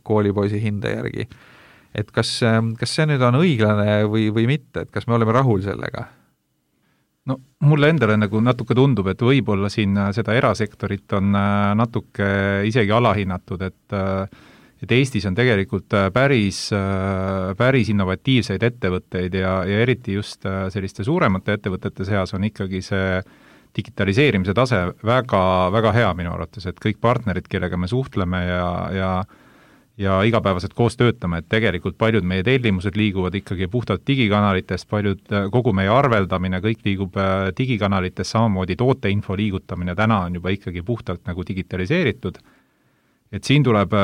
Speaker 3: koolipoisi hinde järgi. Et kas, kas see nüüd on õiglane või, või mitte, et kas me oleme rahul sellega?
Speaker 5: No mulle endale nagu natuke tundub, et võib-olla siin seda erasektorit on natuke isegi alahinnatud, et et Eestis on tegelikult päris, päris innovatiivseid ettevõtteid ja, ja eriti just selliste suuremate ettevõtete seas on ikkagi see digitaliseerimise tase väga, väga hea minu arvates, et kõik partnerid, kellega me suhtleme ja, ja, ja igapäevaselt koos töötame, et tegelikult paljud meie tellimused liiguvad ikkagi puhtalt digikanalitest, paljud, kogu meie arveldamine, kõik liigub digikanalitest, samamoodi tooteinfo liigutamine täna on juba ikkagi puhtalt nagu digitaliseeritud. Et siin tuleb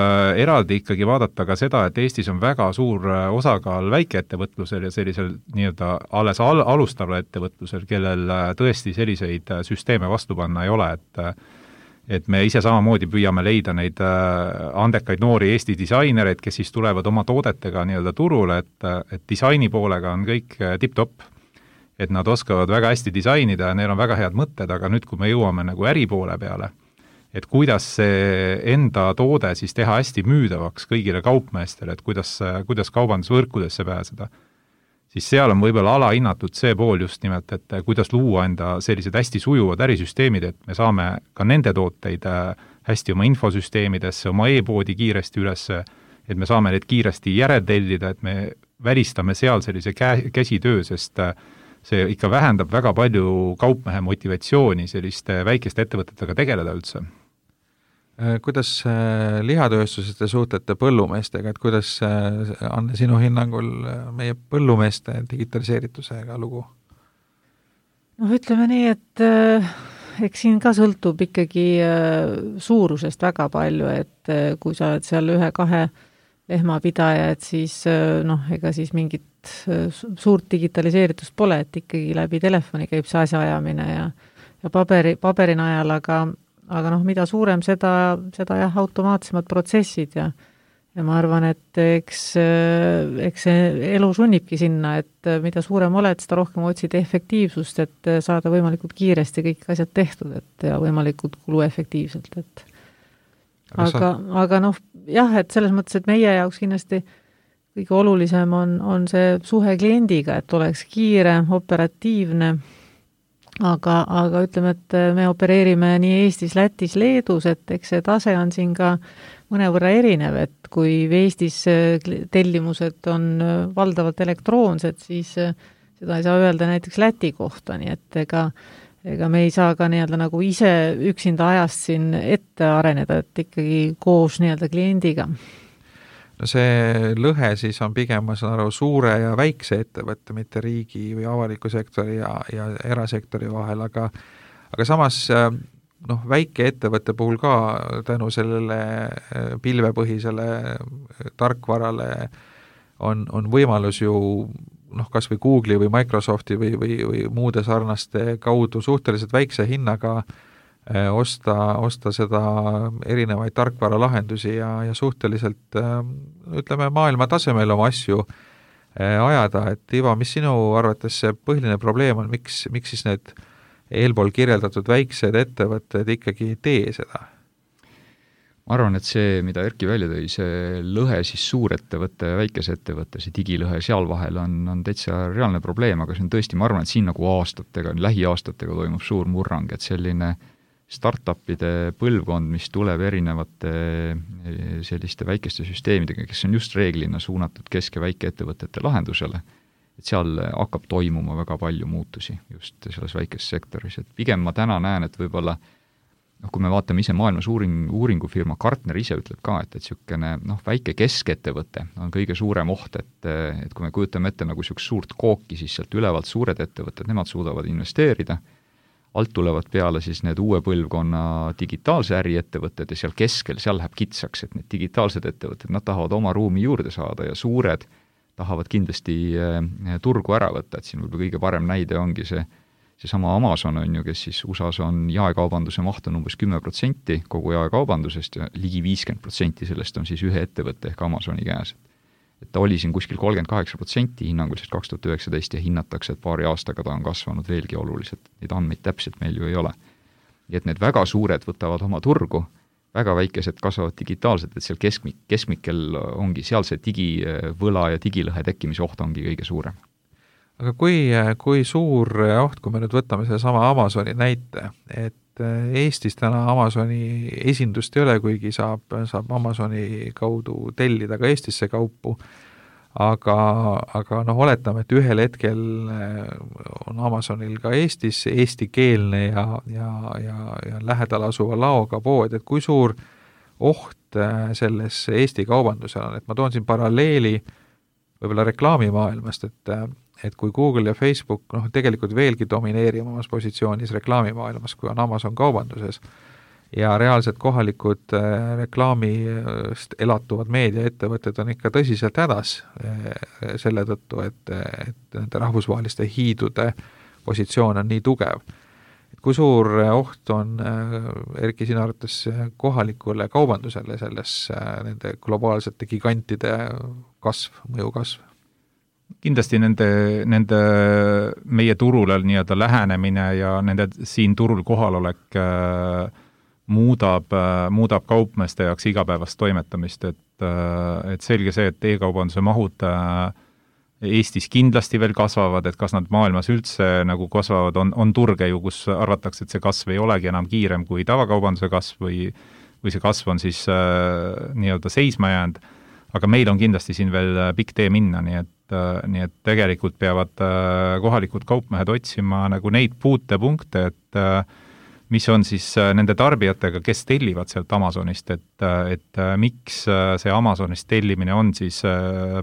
Speaker 5: eraldi ikkagi vaadata ka seda, et Eestis on väga suur osakaal väikeettevõtlusel ja sellisel nii-öelda alles al- alustaval ettevõtlusel, kellel tõesti selliseid süsteeme vastu panna ei ole, et et me ise samamoodi püüame leida neid andekaid noori Eesti disainereid, kes siis tulevad oma toodetega nii-öelda turule, et, et disaini poolega on kõik tipp-topp, et nad oskavad väga hästi disainida ja neil on väga head mõtted, aga nüüd, kui me jõuame nagu äripoole peale, et kuidas see enda toode siis teha hästi müüdavaks kõigile kaupmeestele, et kuidas, kuidas kaubandusvõrkudesse pääseda, siis seal on võib-olla alahinnatud see pool just nimelt, et kuidas luua enda sellised hästi sujuvad ärisüsteemid, et me saame ka nende tooteid hästi oma infosüsteemidesse, oma e-poodi kiiresti üles, et me saame neid kiiresti järeltellida, et me välistame seal sellise kä- käsitöö, sest see ikka vähendab väga palju kaupmehe motivatsiooni selliste väikeste ettevõtetega tegeleda üldse.
Speaker 3: Kuidas lihatööstuses te suhtlete põllumeestega, et kuidas on sinu hinnangul meie põllumeeste digitaliseeritusega lugu?
Speaker 1: noh, ütleme nii, et äh, eks siin ka sõltub ikkagi äh, suurusest väga palju, et äh, kui sa oled seal ühe-kahe lehmapidaja, et siis äh, noh, ega siis mingit äh, suurt digitaliseeritust pole, et ikkagi läbi telefoni käib see asjaajamine ja, ja paberi, paberinajal, aga aga noh, mida suurem seda, seda jah, automaatsemad protsessid ja ja ma arvan, et eks, eks see elu sunnibki sinna, et mida suurem oled, seda rohkem otsid efektiivsust, et saada võimalikult kiiresti kõik asjad tehtud, et ja võimalikult kuluefektiivselt, et aga, aga, aga noh, jah, et selles mõttes, et meie jaoks kindlasti kõige olulisem on, on see suhe kliendiga, et oleks kiire, operatiivne, aga, aga ütleme, et me opereerime nii Eestis, Lätis, Leedus, et eks see tase on siin ka mõnevõrra erinev, et kui Eestis tellimused on valdavalt elektroonsed, siis seda ei saa öelda näiteks Läti kohta, nii et ega, ega me ei saa ka nii-öelda nagu ise üksinda ajast siin ette areneda, et ikkagi koos nii-öelda kliendiga.
Speaker 3: No see lõhe siis on pigem, ma saan aru, suure ja väikse ettevõtte, mitte riigi või avaliku sektori ja, ja erasektori vahel, aga, aga samas noh, väike ettevõtte puhul ka tänu sellele pilvepõhisele tarkvarale on, on võimalus ju noh, kas või Google'i või Microsofti või, või, või muude sarnaste kaudu suhteliselt väikse hinnaga osta, osta seda erinevaid tarkvaralahendusi ja, ja suhteliselt ütleme maailma tasemel oma asju ajada, et Ivo, mis sinu arvates see põhiline probleem on, miks, miks siis need eelpool kirjeldatud väiksed ettevõtted ikkagi ei tee seda?
Speaker 4: Ma arvan, et see, mida Erki välja tõi, see lõhe siis suurettevõtte ja väikese ettevõtte, see digilõhe seal vahel on, on täitsa reaalne probleem, aga see on tõesti, ma arvan, et siin nagu aastatega, lähiaastatega toimub suur murrang, et selline startupide põlvkond, mis tuleb erinevate selliste väikeste süsteemidega, kes on just reeglina suunatud kesk- ja väikeettevõtete lahendusele, et seal hakkab toimuma väga palju muutusi just selles väikeses sektoris, et pigem ma täna näen, et võib-olla noh, kui me vaatame ise maailmas uuring, uuringufirma Gartner ise ütleb ka, et, et niisugune noh, väike keskettevõte on kõige suurem oht, et, et kui me kujutame ette nagu niisugust suurt kooki, siis sealt ülevalt suured ettevõtted, nemad suudavad investeerida, alt tulevad peale siis need uue põlvkonna digitaalse äriettevõtted ja seal keskel, seal läheb kitsaks, et need digitaalsed ettevõtted, nad tahavad oma ruumi juurde saada ja suured tahavad kindlasti turgu ära võtta, et siin võib-olla kõige parem näide ongi see, see sama Amazon on ju, kes siis U S A-s on jaekaubanduse maht on umbes kümme protsenti kogu jaekaubandusest ja ligi viiskümmend protsenti sellest on siis ühe ettevõtte ehk Amazoni käes. Et ta oli siin kuskil kolmkümmend kaheksa protsenti hinnanguliselt kaks tuhat üheksateist ja hinnatakse, et paari aastaga ta on kasvanud veelgi oluliselt. Neid andmeid täpselt meil ju ei ole. Ja et need väga suured võtavad oma turgu, väga väikesed kasvavad digitaalselt, et seal keskmik, keskmikel ongi seal see digivõla ja digilõhe tekkimise oht ongi kõige suurem.
Speaker 3: Aga kui, kui suur oht, kui me nüüd võtame selle sama Amazoni näite, et Eestis täna Amazoni esindust ei ole, kuigi saab, saab Amazoni kaudu tellida ka Eestisse kaupu, aga, aga noh, oletame, et ühel hetkel on Amazonil ka Eestis eestikeelne ja, ja, ja, ja lähedal asuva laoga pood, et kui suur oht selles Eesti kaubandusel on, et ma toon siin paralleeli võib-olla reklaamimaailmast, et et kui Google ja Facebook noh, tegelikult veelgi domineerivamas positsioonis reklaamimaailmas, kui on Amazon kaubanduses, ja reaalselt kohalikud reklaamist elatuvad meediaettevõtted on ikka tõsiselt hädas selle tõttu, et, et nende rahvusvaheliste hiidude positsioon on nii tugev. Et kui suur oht on, Erki, sina arvates kohalikule kaubandusele selles nende globaalsete gigantide kasv, mõju kasv?
Speaker 5: Kindlasti nende, nende meie turule nii-öelda lähenemine ja nende siin turul kohalolek äh, muudab, äh, muudab kaupmeeste jaoks igapäevast toimetamist, et, äh, et selge see, et e-kaubanduse mahud äh, Eestis kindlasti veel kasvavad, et kas nad maailmas üldse nagu kasvavad, on, on turge ju, kus arvatakse, et see kasv ei olegi enam kiirem kui tavakaubanduse kasv või, või see kasv on siis äh, nii-öelda seisma jäänud, aga meil on kindlasti siin veel pikk tee minna, nii et nii et tegelikult peavad kohalikud kaupmehed otsima nagu neid puutepunkte, et mis on siis nende tarbijatega, kes tellivad sealt Amazonist, et, et miks see Amazonist tellimine on siis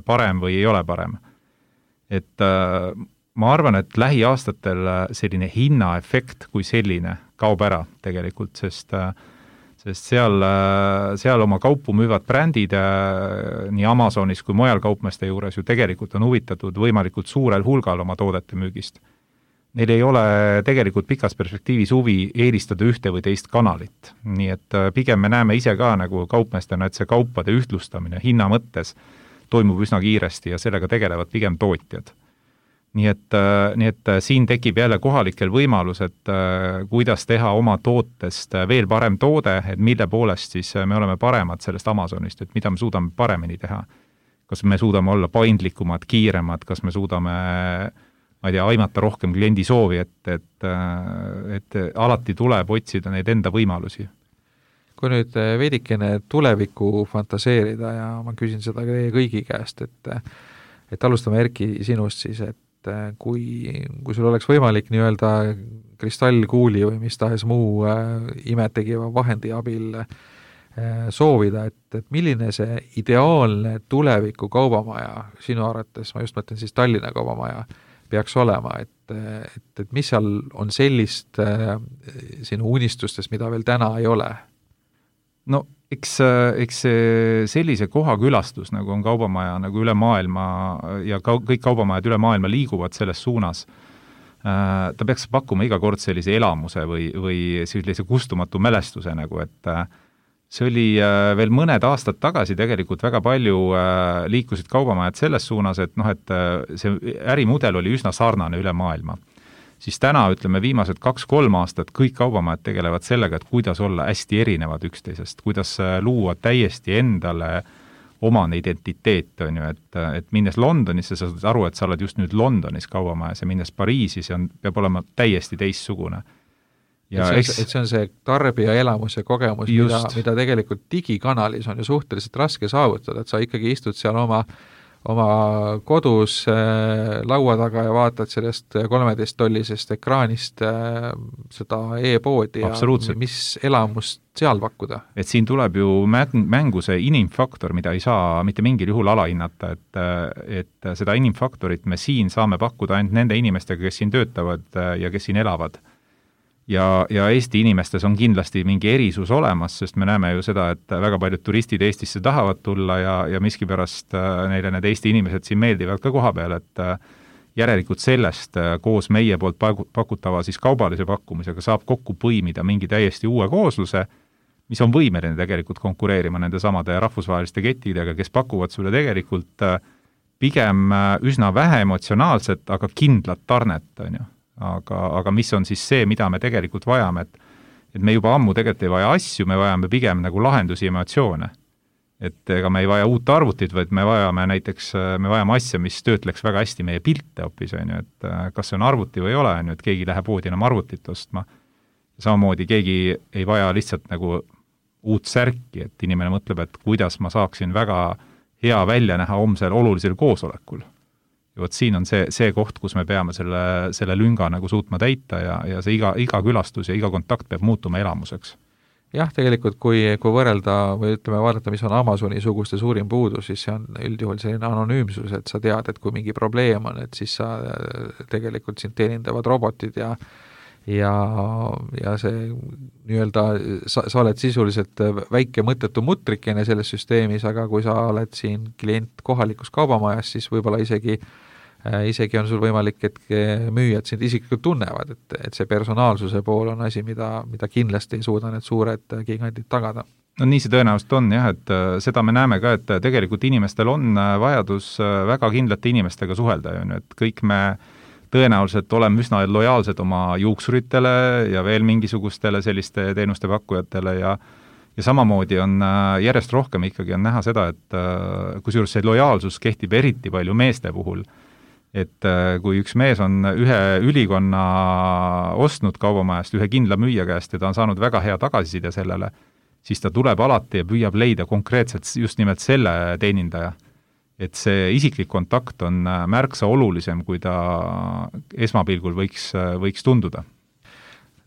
Speaker 5: parem või ei ole parem. Et ma arvan, et lähiaastatel selline hinnaefekt kui selline kaob ära tegelikult, sest sest seal, seal oma kaupu müüvad brändid nii Amazonis kui mujal kaupmeeste juures ju tegelikult on huvitatud võimalikult suurel hulgal oma toodete müügist. Neil ei ole tegelikult pikas perspektiivis huvi eelistada ühte või teist kanalit. Nii et pigem me näeme ise ka nagu kaupmeestena, et see kaupade ühtlustamine hinna mõttes toimub üsna kiiresti ja sellega tegelevad pigem tootjad. Nii et, nii et siin tekib jälle kohalikel võimalus, et kuidas teha oma tootest veel parem toode, et mille poolest siis me oleme paremad sellest Amazonist, et mida me suudame paremini teha. Kas me suudame olla paindlikumad, kiiremad, kas me suudame, ma ei tea, aimata rohkem kliendi soovi, et, et, et alati tuleb otsida neid enda võimalusi.
Speaker 3: Kui nüüd veidikene tulevikku fantaseerida ja ma küsin seda teie kõigi käest, et, et alustame Erki sinust siis, et kui, kui sul oleks võimalik nii-öelda kristallkuuli või mis tahes muu äh, imetegiva vahendi abil äh, soovida, et, et milline see ideaalne tuleviku kaubamaja sinu arvates, ma just mõtlen siis Tallinna kaubamaja, peaks olema, et, et, et mis seal on sellist äh, sinu unistustest, mida veel täna ei ole?
Speaker 5: No eks, eks sellise koha külastus, nagu on kaubamaja nagu üle maailma ja ka, kõik kaubamajad üle maailma liiguvad selles suunas, ta peaks pakkuma iga kord sellise elamuse või, või sellise kustumatu mälestuse, nagu et see oli veel mõned aastad tagasi tegelikult väga palju liikusid kaubamajad selles suunas, et noh, et see ärimudel oli üsna sarnane üle maailma. Siis täna, ütleme, viimased kaks-kolm aastat kõik kaubamajad tegelevad sellega, et kuidas olla hästi erinevad üksteisest, kuidas luua täiesti endale omane identiteet, on ju, et, et minnes Londonisse, sa saad aru, et sa oled just nüüd Londonis kaubamajas ja minnes Pariisi, see on, peab olema täiesti teistsugune.
Speaker 3: Ja et, see, et see on see tarbija elamus ja kogemus, mida, mida tegelikult digikanalis on ju suhteliselt raske saavutada, et sa ikkagi istud seal oma oma kodus äh, laua taga ja vaatad sellest kolmeteist tollisest ekraanist äh, seda e-poodi ja mis elamust seal pakkuda.
Speaker 5: Et siin tuleb ju mängu see inimfaktor, mida ei saa mitte mingil juhul alahinnata, et, et seda inimfaktorit me siin saame pakkuda ainult nende inimestega, kes siin töötavad ja kes siin elavad. ja, ja Eesti inimestes on kindlasti mingi erisus olemas, sest me näeme ju seda, et väga paljud turistid Eestisse tahavad tulla ja, ja miskipärast neile need Eesti inimesed siin meeldivad ka koha peal, et järelikult sellest koos meie poolt pakutava siis kaubalise pakkumisega saab kokku põimida mingi täiesti uue koosluse, mis on võimeline tegelikult konkureerima nende samade rahvusvaheliste kettidega, kes pakuvad sulle tegelikult pigem üsna vähe emotsionaalset, aga kindlat tarnet, on ju. Aga, aga mis on siis see, mida me tegelikult vajame, et, et me juba ammu tegelikult ei vaja asju, me vajame pigem nagu lahendusi emotsioone. Et ega me ei vaja uut arvutit, vaid me vajame näiteks, me vajame asja, mis töötleks väga hästi meie pilte hoopis, on ju, et kas see on arvuti või ei ole, on ju, et keegi läheb poodi enam arvutit ostma. Samamoodi keegi ei vaja lihtsalt nagu uut särki, et inimene mõtleb, et kuidas ma saaksin väga hea välja näha homsel olulisel koosolekul. Ja võt siin on see, see koht, kus me peame selle, selle lünga nagu suutma täita ja, ja see iga, iga külastus ja iga kontakt peab muutuma elamuseks.
Speaker 3: Jah, tegelikult kui, kui võrrelda või ütleme vaadata, mis on Amazoni suguste suurim puudus, siis see on üldjuhul selline anonüümsus, et sa tead, et kui mingi probleem on, et siis sa tegelikult sind teenindavad robotid ja ja, ja see nii-öelda, sa, sa oled sisuliselt väike mõttetu mutrikene selles süsteemis, aga kui sa oled siin klient kohalikus kaubamajas, siis võib-olla isegi isegi on sul võimalik, et müüjad sind isiklikult tunnevad, et, et see personaalsuse pool on asi, mida, mida kindlasti ei suuda need suured gigandid tagada.
Speaker 5: No nii see tõenäoliselt on jah, et seda me näeme ka, et tegelikult inimestel on vajadus väga kindlate inimestega suhelda, et kõik me tõenäoliselt oleme üsna lojaalsed oma juuksuritele ja veel mingisugustele selliste teenuste pakkujatele ja ja samamoodi on järjest rohkem ikkagi on näha seda, et kusjuures see lojaalsus kehtib eriti palju meeste puhul, et kui üks mees on ühe ülikonna ostnud kaubamajast ühe kindla müüja käest ja ta on saanud väga hea tagasiside sellele, siis ta tuleb alati ja püüab leida konkreetselt just nimelt selle teenindaja. Et see isiklik kontakt on märksa olulisem, kui ta esmapilgul võiks, võiks tunduda.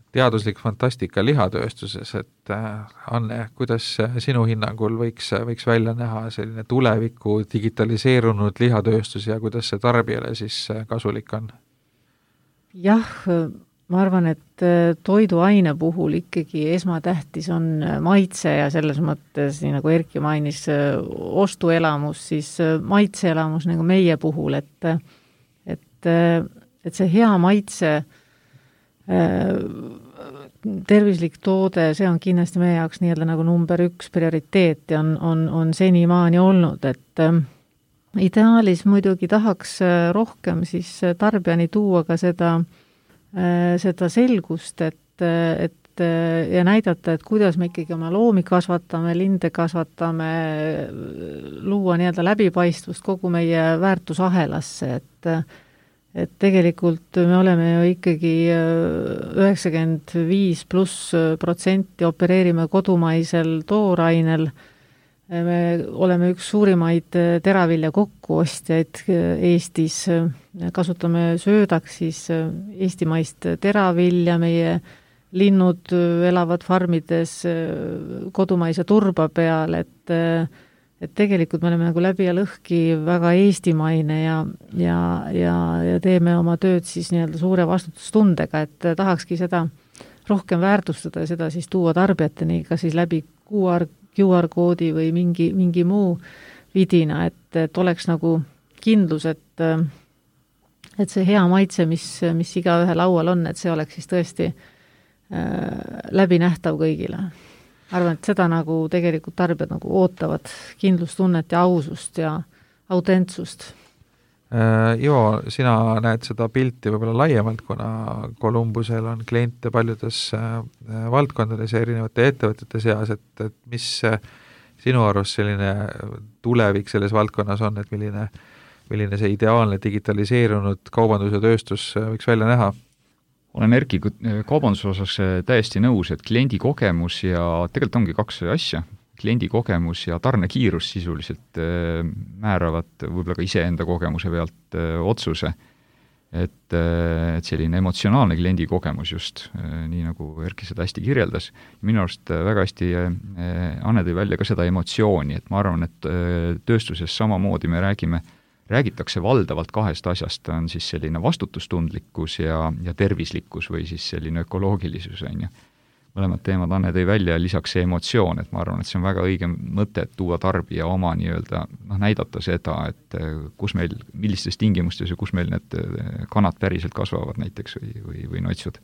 Speaker 3: Teaduslik fantastika lihatööstuses, et Anne, kuidas sinu hinnangul võiks, võiks välja näha selline tuleviku digitaliseerunud lihatööstus ja kuidas see tarbijale siis kasulik on?
Speaker 1: Jah, ma arvan, et toiduaine puhul ikkagi esmatähtis on maitse ja selles mõttes, nii nagu Erki mainis, ostuelamus, siis maitseelamus nagu meie puhul, et, et, et see hea maitse tervislik toode, see on kindlasti meie jaoks nii-öelda nagu number üks prioriteet ja on, on, on senimaani olnud, et äh, ideaalis muidugi tahaks rohkem siis tarbijani tuua ka seda, äh, seda selgust, et, et äh, ja näidata, et kuidas me ikkagi oma loomi kasvatame, linde kasvatame, luua nii-öelda läbipaistvust kogu meie väärtusahelasse, et et tegelikult me oleme ju ikkagi üheksakümmend viis pluss protsenti opereerime kodumaisel toorainel. Me oleme üks suurimaid teravilja kokkuostjaid Eestis. Kasutame söödaks siis eestimaist teravilja, meie linnud elavad farmides kodumaise turba peal, et et tegelikult me oleme nagu läbi ja lõhki väga eestimaine ja, ja, ja, ja teeme oma tööd siis nii-öelda suure vastutustundega, et tahakski seda rohkem väärtustada ja seda siis tuua tarbijateni, kas siis läbi Q R, Q R koodi või mingi, mingi muu vidina, et, et oleks nagu kindlus, et, et see hea maitse, mis, mis iga ühe laual on, et see oleks siis tõesti äh, läbinähtav kõigile. Arvan, et seda nagu tegelikult tarbijad nagu ootavad kindlustunnet ja ausust ja autentsust.
Speaker 3: Ivo, sina näed seda pilti võib-olla laiemalt, kuna Columbusel on kliente paljudes valdkondades ja erinevate ettevõtete seas, et, et mis sinu arust selline tulevik selles valdkonnas on, et milline, milline see ideaalne digitaliseerunud kaubandus ja tööstus võiks välja näha?
Speaker 4: Olen Erki kaubanduse osas täiesti nõus, et kliendi kogemus ja tegelikult ongi kaks asja, kliendi kogemus ja tarnekiirus sisuliselt määravad võib-olla ka iseenda kogemuse pealt otsuse, et, et selline emotsionaalne kliendi kogemus just, nii nagu Erki seda hästi kirjeldas. Minu arust väga hästi Anne tõi välja ka seda emotsiooni, et ma arvan, et tööstuses samamoodi me räägime räägitakse valdavalt kahest asjast, on siis selline vastutustundlikkus ja, ja tervislikkus või siis selline ökoloogilisus, on ju. Mõlemad teemad Anne tõi välja ja lisaks see emotsioon, et ma arvan, et see on väga õige mõte, et tuua tarbija oma nii-öelda, noh, näidata seda, et kus meil, millistes tingimustes ja kus meil need kanad päriselt kasvavad näiteks või, või, või noitsud.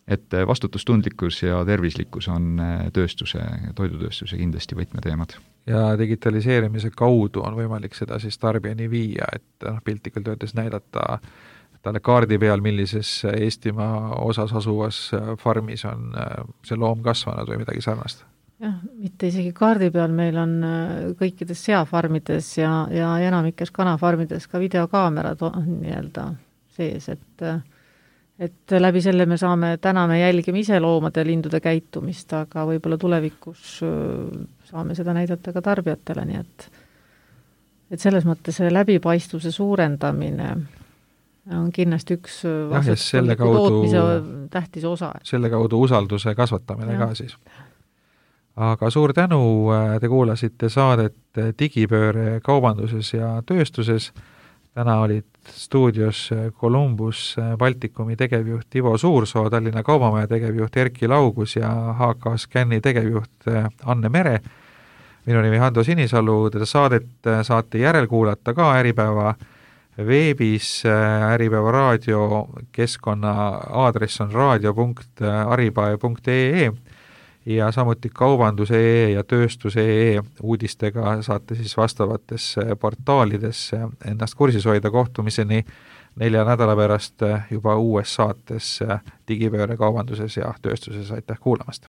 Speaker 4: Et vastutustundlikkus ja tervislikkus on tööstuse, toidutööstuse kindlasti võtmeteemad.
Speaker 3: Ja digitaliseerimise kaudu on võimalik seda siis tarbijani viia, et noh, piltlikult öeldes näidata talle kaardi peal, millises Eestimaa osas asuvas farmis on see loom kasvanud või midagi sarnast.
Speaker 1: Jah, mitte isegi kaardi peal, meil on kõikides seafarmides ja, ja enamikes kanafarmides ka videokaamerad on nii-öelda sees, et, et läbi selle me saame, täna me jälgime ise loomade ja lindude käitumist, aga võib-olla tulevikus saame seda näidata ka tarbijatele, nii et, et selles mõttes see läbipaistvuse suurendamine on kindlasti üks
Speaker 3: vastutustundliku
Speaker 1: tootmise tähtis osa.
Speaker 3: Selle kaudu usalduse kasvatamine ja. Ka siis. Aga suur tänu, te kuulasite saadet Digipööre kaubanduses ja tööstuses. Täna olid stuudios Columbus Baltikumi tegevjuht Ivo Suursoo, Tallinna Kaubamaja tegevjuht Erki Laugus ja H K Scanni tegevjuht Anne Mere. Minu nimi Hando Sinisalu, teda saadet saate järelkuulata ka Äripäeva veebis. Äripäeva raadio keskkonna aadress on raadio punkt aripae punkt ee ja samuti kaubandus punkt ee ja tööstus punkt ee uudistega saate siis vastavatesse portaalidesse ennast kursis hoida. Kohtumiseni nelja nädala pärast juba uues saates Digipööre kaubanduses ja tööstuses. Aitäh kuulamast!